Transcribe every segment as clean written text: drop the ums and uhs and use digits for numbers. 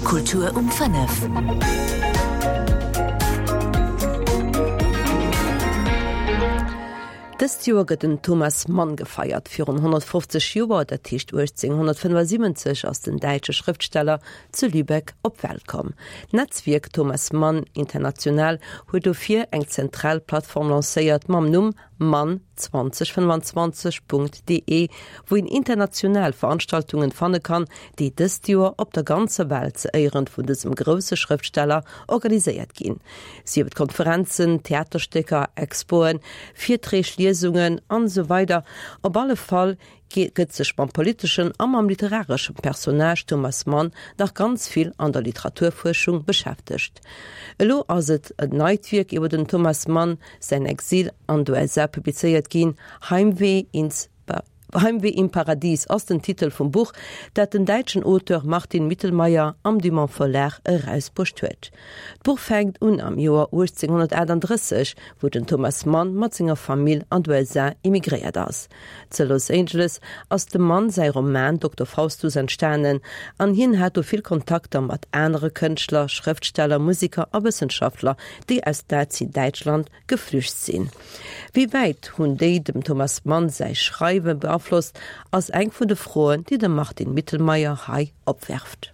Kultur um 5. Dëst Joer gëtt den Thomas Mann gefeiert. Virun 150 Joer, dat heescht 1875, ass den däitsche Schrëftsteller zu Lübeck op d'Welt komm. D'Netzwierk Thomas Mann International huet dofir eng zentral Plattform lancéiert mam Numm Mann 2025 Punkt de, wou een international Veranstaltungen fanne kann, déi dëst Joer op der ganzer Welt ze Éieren vun dësem grousse Schrëftsteller organiséiert ginn. Sief et Konferenzen, Theaterstécker, Expoen, Virträg, Liesungen an esou weider Op alle Fall gëtt sech mam politeschen a mam literareschem Personnage Thomas Mann nach ganz vill an der Literaturfuerschung beschäftegt. Elo ass et en neit Wierk iwwer den Thomas Mann säin Exil an d'USA publizéiert ginn, Heimweh ins Heimweh im Paradies ass den Titel vum Buch, dat den däitschen Auteur Martin Mittelmeier am Dumont Verlag erausbruecht huet. D'Buch fänkt un am Joer 1838, wou den Thomas Mann mat senger Famill an d'USA immigréiert ass. Zu Los Angeles ass dem Mann säi Roman Doktor Faustus entstanen an hien hat do vill Kontakter mat anere Kënschtler, Schrëftsteller, Museker a Wëssenschaftler, déi aus Nazi-Däitschland geflücht sinn. Wéi wäit hunn déi dem Thomas Mann säi Schreiwe beaflosst, ass eng vun de Froen, déi de Martin Mittelmeier hei opwerft.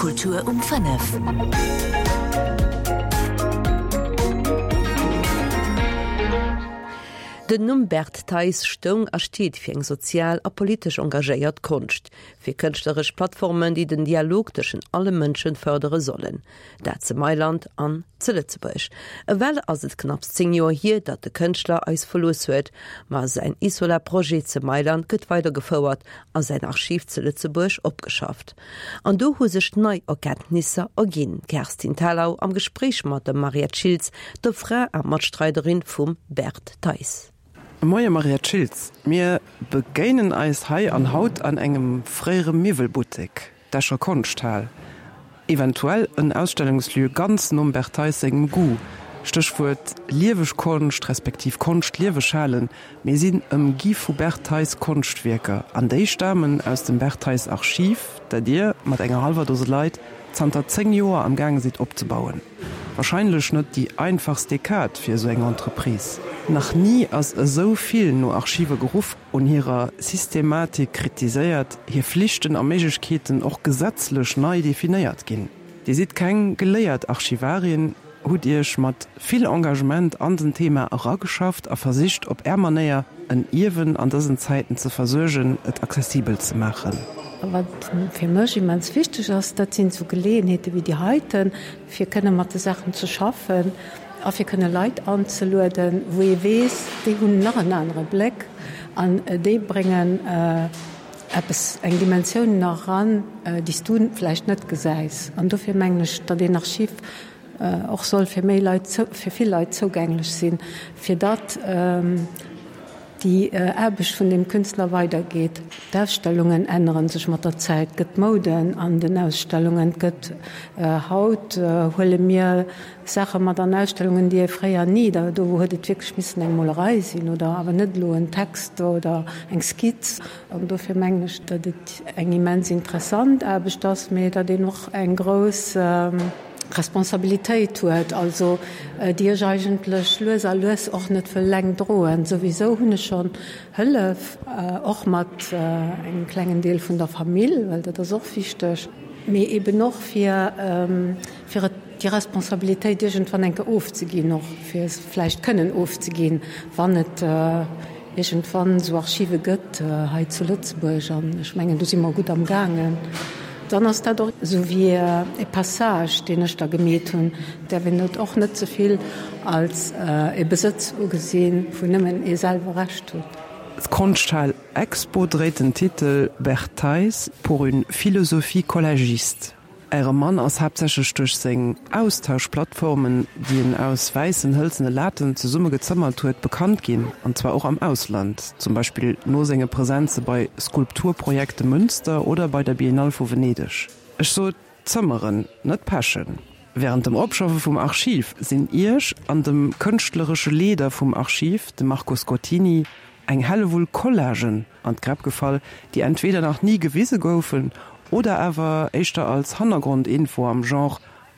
Kultur um 5. Den Numm Bert Theis stoung a steet fir eng sozial a politesch engagéiert Konscht, fir kënschtleresch Plattformen, déi den Dialog tëschent alle Mënschen fërdere sollen. Dat ze Mailand an ze Lëtzebuerg. Ewell ass et knapps 10 Joer hier, datt de Kënschtler eis verlooss huet, ma säin Isola-Projet ze Mailand gëtt weidergefouert a säin Archiv ze Lëtzebuerg opgeschafft. An do hu sech nei Erkenntnisser erginn. D'Kerstin Thalau am Gespréich mat der Mariette Schiltz, der Fra a Matstreiderin vum Bert Theis. Moie Mariette Schiltz, mir begéinen eis hei an haut an engem fréiere Miwwelbuttek. D'Escher Konschthal, eventuell en Ausstellungslieu ganz nom Bert Theis sengem Goût, Stéchwuert lieweg Konscht respektiv Konscht lieweg halen, mir sinn ëmgi vu Bert Theis Konschtwierker an déi stamen aus dem Bert Theis Archiv, dat Dir mat enger hallwer Dose Leit zanter 10 Joer am gaange sidd opzebauen. Wahrscheinlech net déi einfachst Dekad fir esou eng Entreprise. Nach ni ass esou vill no Archive geruff un hirer Systematik kritiséiert, hir Flichten a Méiglechkeeten och gesetzlech nei definéiert ginn. Dir sidd keng geléiert Archivarin, hutt Iech mat vill Engagement an den Thema erageschafft a versicht op Är Manéier en Ierwen an dësen Zäiten ze versuergen, et accessibel ze maachen. Wat fir mech immens wichteg ass, dat sinn esou Geleeënheete wéi déi heiten, fir kënne mat de Saachen ze schaffen. A fir kënne Leit anzelueden, wou ee weess, déi hunn nach en anere Bléck an déi bréngen eppes, eng Dimensioun nach eran, déi s du vläicht net gesäis. An dofir mengen ech, datt een Archiv och soll fir méi Leit, fir vill Leit zougänglech sinn, fir datt déi Aarbecht vun deem Künstler weidergeet. D'Ausstellungen ännere sech mat der Zäit, et gëtt Mouden an den Ausstellungen, et gëtt haut huele mir Saache mat an Ausstellungen, déi ee fréier ni, da do huet et wierklech missen eng Molerei sinn oder awer net elo en Text oder eng Skizz. An dofir mengen ech, datt et eng immens interessant Aarbecht ass, mee datt een och eng grouss Responsabilitéit huet, also déi ech eigentlech lues a lues och net wëll eleng droen. Souwisou hunn ech schonn Hëllef, och mat engem klengen Deel vun der Famill, well dat ass och wichteg, mee eben och fir fir et déi Responsabilitéit iergendwann eng Kéier ofzeginn, och fir se vläicht kënnen ofzeginn, wann et iergendwann esou Archive gëtt hei zu Lëtzebuerg, an ech mengen, do si mer gutt amgaangen, dann ass dat och esou wéi e Passage, deen ech da gemeet hunn, däerf een et och net ze vill als e Besëtz ugesinn, wou nëmmen ee selwer Recht huet. D'Konschthal Expo dréit den Titel Bert Theis pour une philosophie collagiste. Äre Mann ass haaptsächlech duerch seng Austauschplattformen, déi en aus wäissen hëlzene Laten zesumme gezëmmert huet, bekannt ginn, an zwar och am Ausland, zum Beispill no senge Presenze bei Skulpturprojekte Münster oder bei der Biennale vu Venedeg. Ech sot zëmmeren, net pechen. Wärend dem Opschaffe vum Archiv sinn Iech an dem kënschtleresche Leeder vum Archiv, dem Marco Scottini, eng Hellewull Collagen an d'Gräpp gefall, déi entweder nach ni gewise goufen oder awer éischter als Hannergrondinfo am Genre,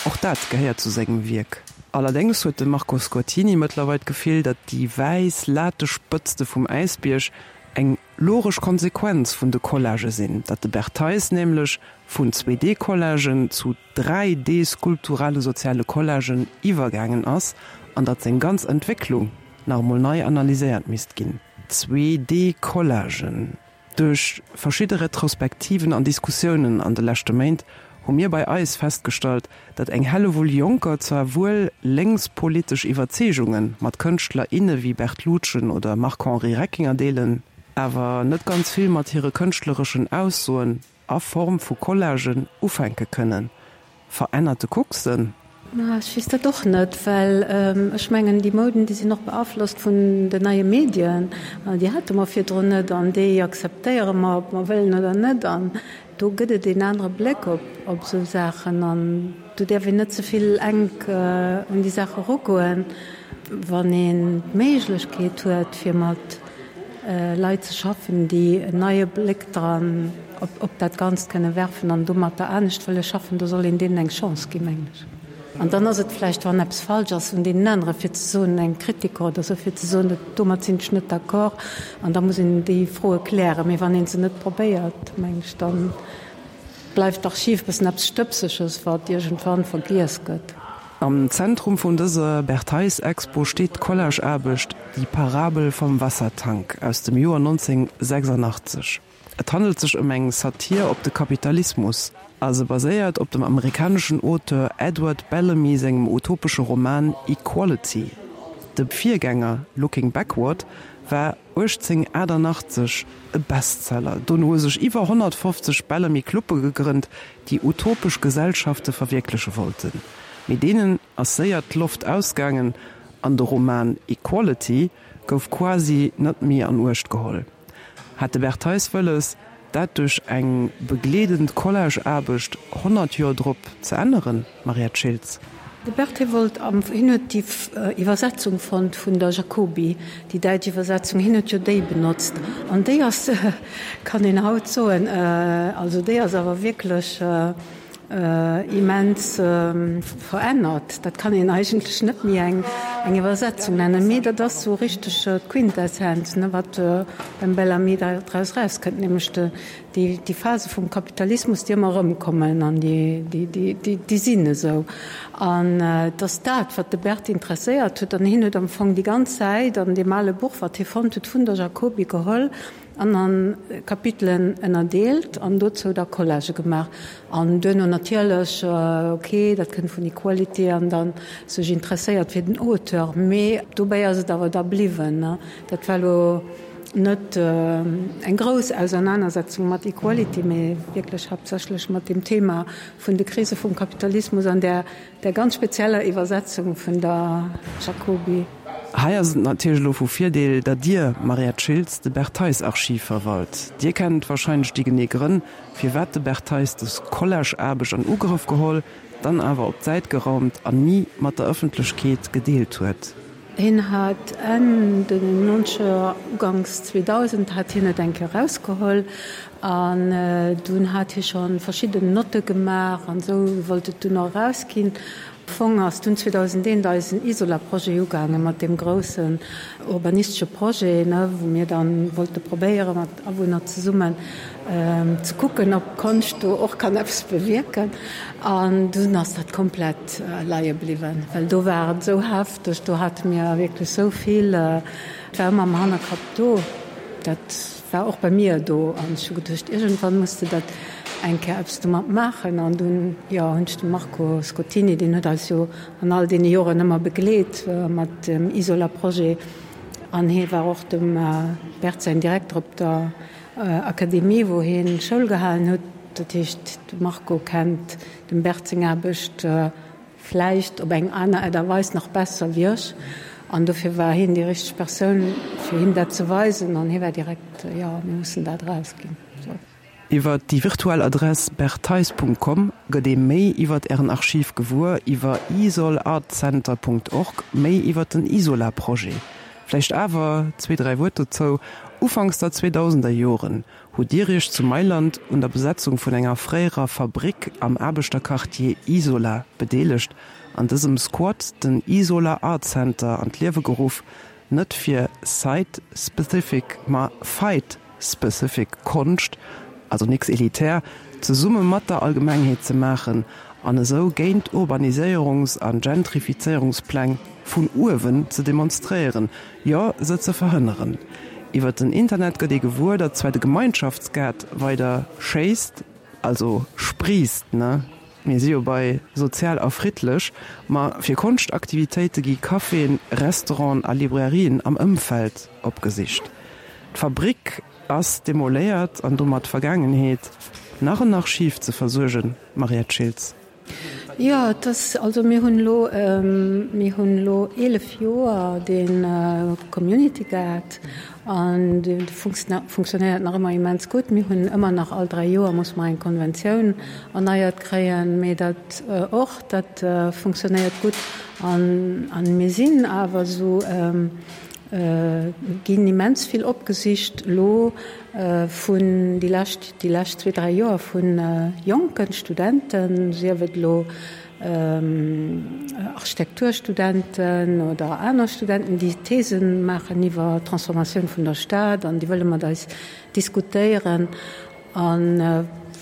och dat gehéiert zu sengem Wierk. Allerdéngs huet de Marco Scottini mëttlerweil d'Gefill, datt déi wäiss Latespëtzte vum Äisbierg eng logesch Konsequenz vun de Collagë sinn, datt de Bert Theis nämlech vun Zwee-D-Collagen zu 3D-skulpturale soziale Collagen iwwergaangen ass an datt seng ganz Entwécklung nach emol nei analyséiert misst ginn. 2D-Collagen. Duerch verschidde Retrospektiven an Diskussiounen an de leschte Méint hu mir bei eis festgestallt, datt eng Hellewull Jonker zwar wuel lénkspolitesch Iwwerzeegunge mat Kënschtler, inne wéi Bert Lutgen oder Marc-Henri Reckinger deelen, awer net ganz vill mat hire kënschtlereschen Aussoen a Form vu Collagen ufänke kënnen. Verännerte Kucksen? Ma ech weess dat och net, well ech mengen, déi Mouden, déi sinn och beaflosst vun den neie Medien. Déi hate mer virdrun net an déi akzeptéiere mer, ob mer wëllen oder net. An do gëtt et een anere Bléck op esou Saachen an do däerf een net ze vill enk un déi Saach erugoen. Wann een d'Méiglechkeet huet, fir mat Leit ze schaffen, déi en neie Bléck dran op dat Ganzt kënne werfen an domatter anescht wëlle schaffen, do soll een deenen eng Chance ginn, mengen ech. An dann ass et vläicht, wann eppes falsch ass, un deenen anere fir ze soen, engem Kritiker oder esou, fir ze soen, domat sinn ech net d'accord. An da muss een déi Froe klären. Mee wann ee se net probéiert, mengen ech, dann. bleift d'Archiv e bëssen eppes Stëbseges, wat iergendwann vergiess gëtt. Am Zentrum vun dëser Bertheis-Expo steet d'Collage-Aarbecht Die Parabel vom Wassertank aus dem Joer 1986. Et handelt sech ëm eng Satir op de Kapitalismus a se baséiert op dem amerikaneschen Auteur Edward Bellamy sengem utopesche Roman Equality. De Virgänger Looking Backward war 1888 e Bestseller. Dono hu sech iwwer 150 Bellamy-Clubbe gegrënnt, déi utopesch Gesellschafte verwierkleche wollten. Mee deenen ass séier d'Loft ausgaangen an de Roman Equality gouf quasi net méi an Uecht geholl. Hat de Bert Theis wëlles, dat duerch eng begleedend Collage-Aarbecht 100 Joer drop ze änneren, Mariette Schiltz? De Bert hie wollt am, hien huet déi Iwwersetzung fonnt vun der Jacoby, déi däitsch Iwwersetzung, hien huet jo déi benotzt an déi ass, kann een haut soen, also déi ass awer wierklech immens verännert. Dat kann een eigentlech net méi eng Iwwersetzung nennen, mee dat ass esou richteg d'Quintessenz, wat beim Bellamy draus erauskënnt, nämlech déi Phase vum Kapitalismus, déi ëmmer erëmkommen an déi sinn esou. An et ass dat, wat de Bert interesséiert huet. An hien huet am Fong déi ganz Zäit an deem ale Buch, wat hie fonnt huet, vun der Jacoby geholl an a Kapitelen ënnerdeelt an dozou da Collagë gemaach. An duerno natierlech, ok, dat kënnt vun Equality an da sech interesséiert fir den Auteur. Mee dobäi ass et awer da bliwwen. Dat war elo net eng grouss Ausernanersetzung mat Equality, mee wierklech haaptsächlech mat deem Thema vun de Krise vum Kapitalismus an där där ganz spezieller Iwwersetzung vun der Jacoby. Hei ass et natierlech elo vu Virdeel, datt Dir, Mariette Schiltz, de Bertheis-Archiv verwalt. Dir kennt warscheinlech déi genee Grënn, firwat de Bertheis dës Collage-Aarbecht an Ugrëff geholl, dann awer op d'Säit geraumt an ni mat der Ëffentlechkeet gedeelt huet. Hien hat Enn den nonzeger, uganks 2000 hat hien et eng Kéier erausgeholl an dunn hat hie scho verschidden Notte gemaach an esou, wollt et dunn och erausginn. Am Fong ass dunn 2001 eisen Isola-Projet ugaange mat deem groussen urbanistesche Projet, wou mir dann wollte probéiere mat Awunner zesummen ze kucken, ob Konscht do och kann eppes bewierken. An dunn ass dat komplett leie bliwwen, well do war et esou hefteg, do hate mir wierklech esou vill, et war ëmmer am Hannerkapp do, dat war och bei mir do an ech hu geduecht, iergendwann muss de dat eng Kéier eppes domat maachen. An dunn, jo, hunn ech de Marco Scottini, deen huet eis jo an all deene Joren ëmmer begleet mat dem Isola-Projet an hie war och dem Bert säin Direkter op der Akademie, wou hien Schoul gehalen huet. Dat heescht, de Marco kennt dem Bert seng Aarbecht vläicht op eng aner Aart a Weis nach besser wéi ech. An dofir war hien déi richteg Persoun, fir him dat ze weisen. An hie war direkt, Jo, mir mussen dat erausginn. Iwwer déi virtuell Adress bertheis.com gëtt ee méi iwwert Ären Archiv gewuer, iwwer isolartcenter.org méi iwwer den Isola-Projet. Vläicht awer zwee, dräi Wuert dozou, Ufanks der 2000er Joren hutt Dir Iech zu Mailand un der Besetzung vun enger fréierer Fabrick am Aarbechterquartier Isola bedeelegt an dësem Squat den Isola Art Center an d'Liewe geruff, net fir site-specific, ma fight-specific Konscht, also nix elitär, zesumme mat der Allgemengheet ze maachen an esou géint Urbaniséierungs a Gentrifizéierungspläng vun uewen ze demonstréieren, jo se ze verhënneren. Iwwer den Internet gëtt ee gewuer, datt zwar de Gemeinschaftsgaart weider schéisst, also spriisst, ne, mir si jo bei sozial a friddlech, ma fir Konschtaktivitéite gi Caféen, Restauranten a Librairien am Ëmfeld opgesicht. D'Fabrik ass demoléiert an domat Vergaangenheet. Nach en Archiv ze versuergen, Mariette Schiltz? Jo, et ass, also mir hunn elo, mir hunn elo 11 Joer dee Community Gaart an dee funktionéiert nach ëmmer immens gutt. Mir hunn ëmmer nach all 3 Joer musse mer eng Konventioun erneiert kréien, mee dat och, dat funktionéiert gutt. An mir sinn awer esou, ginn immens vill opgesicht elo vun déi lescht, déi lescht zwee, dräi Joer vu jonke Studenten, sief et elo Architekturstudenten oder aner Studenten, déi These maachen iwwer d'Transformatioun vun der Stad an déi wëlle mat eis diskutéieren. A.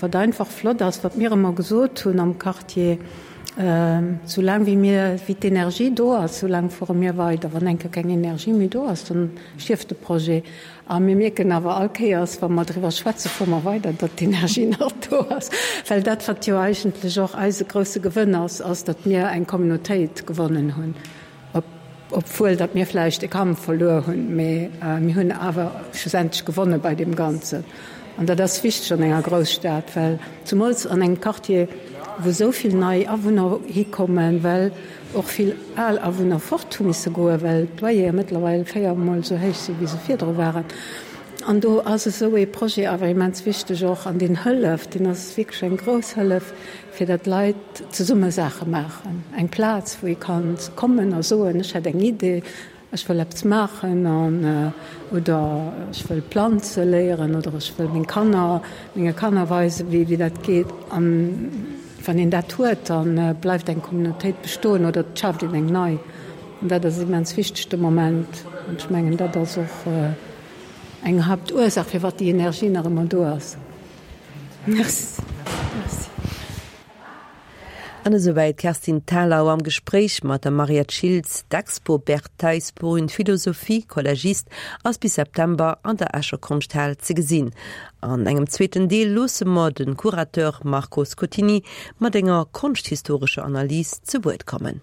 Wat einfach flott ass, wat mir ëmmer gesot hunn am Quartier, Soulaang wéi mir, wéi d'Energie do ass, soulaang fuere mir weider. Wann eng Kéier keng Energie méi do ass, dann stierft de Projet. A mir mierken awer all Kéiers, wa mer driwwer schwätzen, fuere mer weider, datt d'Energie nach do ass. Well dat, wat jo eigentlech och eise grousse Gewënn ass, ass, datt mir eng Communautéit gewonnen hunn. Obwuel datt mir vläicht e Kampf verluer hunn, mee mir hunn awer schlussendlech gewonne bei deem Ganzen. An dat ass wichteg an enger Grousstad, well zemools an engem Quartier, wou esou vill nei Awunner hikommen, well och vill al Awunner fort hu misse goen, well d'Loyere mëttlerweil véiermol esou héich sinn, wéi se virdru waren. An do ass esou ee Projet awer immens wichteg och an deen hëlleft, deen ass wierklech eng grouss Hëllef, fir datt d'Leit zesumme Saache maachen, eng Plaz, wou ee kann kommen a soen, ech hätt eng Idee, ech wëll eppes maachen an oder ech wëll planze léieren oder ech wëll meng Kanner, menge Kanner weisen, wéi wéi dat geet. An wann een dat huet, da bleift eng Communautéit bestoen oder et schaaft een eng nei. An dat ass immens wichteg de Moment. An ech mengen, dat ass och eng Haaptursaach, firwat déi Energie nach ëmmer do ass. Merci. Merci. An esouwäit d'Kerstin Thalau am Gespréich mat der Mariette Schiltz. D'Expo Bert Theis pour une philosophie collagiste ass bis September an der Escher Konschthal ze gesinn. An engem zweeten Deel loosse mer de Curateur Marco Scotini mat enger konschthistorescher Analys ze Wuert kommen.